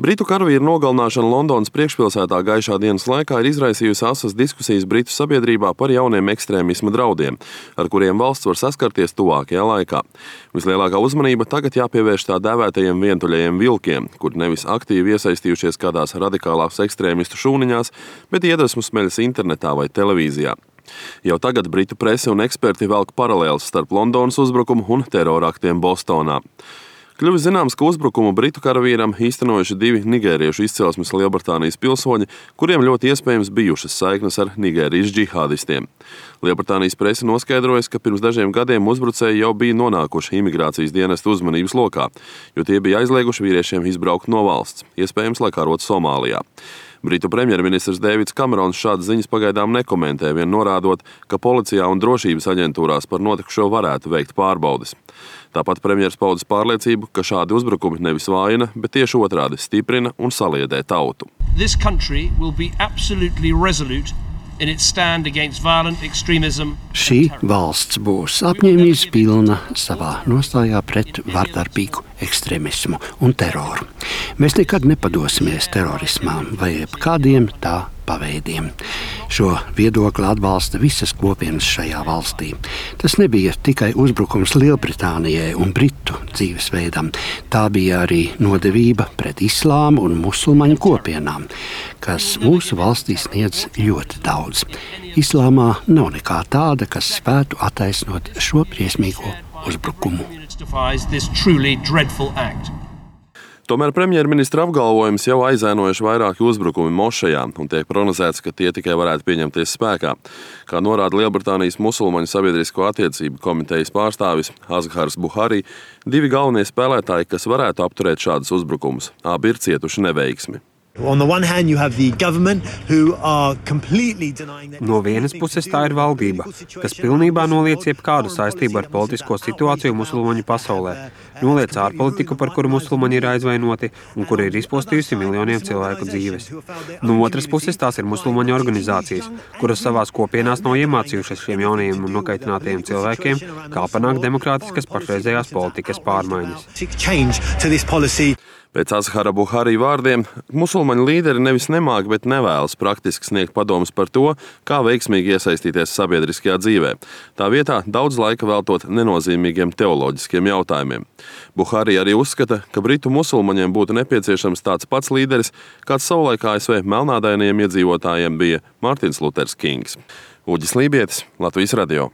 Britu karavīru nogalināšana Londonas priekšpilsētā gaišā dienas laikā ir izraisījusi asas diskusijas Britu sabiedrībā par jauniem ekstrēmisma draudiem, ar kuriem valsts var saskarties tuvākajā laikā. Vislielākā uzmanība tagad jāpievērš tā dēvētajiem vientuļajiem vilkiem, kuri nevis aktīvi iesaistījušies kādās radikālās ekstrēmistu šūniņās, bet iedvesmu smeļas internetā vai televīzijā. Jau tagad Britu prese un eksperti velk paralēles starp Londonas uzbrukumu un teroraktiem Bostonā. Kļuvis zināms, ka uzbrukumu Britu karavīram īstenojuši 2 nigēriešu izcelsmes Lielbritānijas pilsoņi, kuriem ļoti iespējams bijušas saiknes ar Nigērijas džihādistiem. Lielbritānijas prese noskaidrojas, ka pirms dažiem gadiem uzbrucēji jau bija nonākuši imigrācijas dienesta uzmanības lokā, jo tie bija aizlieguši vīriešiem izbraukt no valsts, iespējams, lai karotu Somālijā. Britu premjerministrs Deivids Kamerons šādas ziņas pagaidām nekomentē, vien norādot, ka policijā un drošības aģentūrās par notikušo varētu veikt pārbaudes. Tāpat premjers paudas pārliecību, ka šādi uzbrukumi nevis vājina, bet tieši otrādi stiprina un saliedē tautu. This country will be absolutely resolute in its stand against violent extremism. Šī valsts būs apņēmības pilna savā nostājā pret vardarbīgu ekstremismu un teroru. Mēs nekad nepadosimies terorismām vai kādiem tā paveidiem. Šo viedokli atbalsta visas kopienas šajā valstī. Tas nebija tikai uzbrukums Lielbritānijai un Britu dzīvesveidam. Tā bija arī nodevība pret islāmu un musulmaņu kopienām, kas mūsu valstī sniedz ļoti daudz. Islāmā nav nekā tāda, kas spētu attaisnot šo briesmīgo uzbrukumu. Tomēr premjerministra apgalvojums jau aizēnojuši vairāki uzbrukumi mošejā un tiek prognozēts, ka tie tikai varētu pieņemties spēkā. Kā norāda Lielbritānijas musulmaņu sabiedrisko attiecību komitejas pārstāvis Azhars Buhari, 2 galvenie spēlētāji, kas varētu apturēt šādus uzbrukumus, abi ir cietuši neveiksmi. No vienas puses tā ir valdība, kas pilnībā noliec jebkādu saistību ar politisko situāciju musulmaņu pasaulē, noliec ārpolitiku, par kuru musulmaņi ir aizvainoti un kur ir izpostījusi miljoniem cilvēku dzīves. No otras puses tās ir musulmaņu organizācijas, kuras savās kopienās nav iemācījušas šiem jaunajiem un nokaitinātajiem cilvēkiem, kā panākt demokrātiskas pašreizējās politikas pārmaiņas. Pēc Azhara Buhari vārdiem, musulmaņu līderi nevis nemāk, bet nevēlas praktiski sniegt padomus par to, kā veiksmīgi iesaistīties sabiedriskajā dzīvē. Tā vietā daudz laika veltot nenozīmīgiem teoloģiskiem jautājumiem. Buhari arī uzskata, ka britu musulmaņiem būtu nepieciešams tāds pats līderis, kāds savulaik ASV melnādainajiem iedzīvotājiem bija Mārtiņš Luters Kings. Uģis Lībietis, Latvijas radio.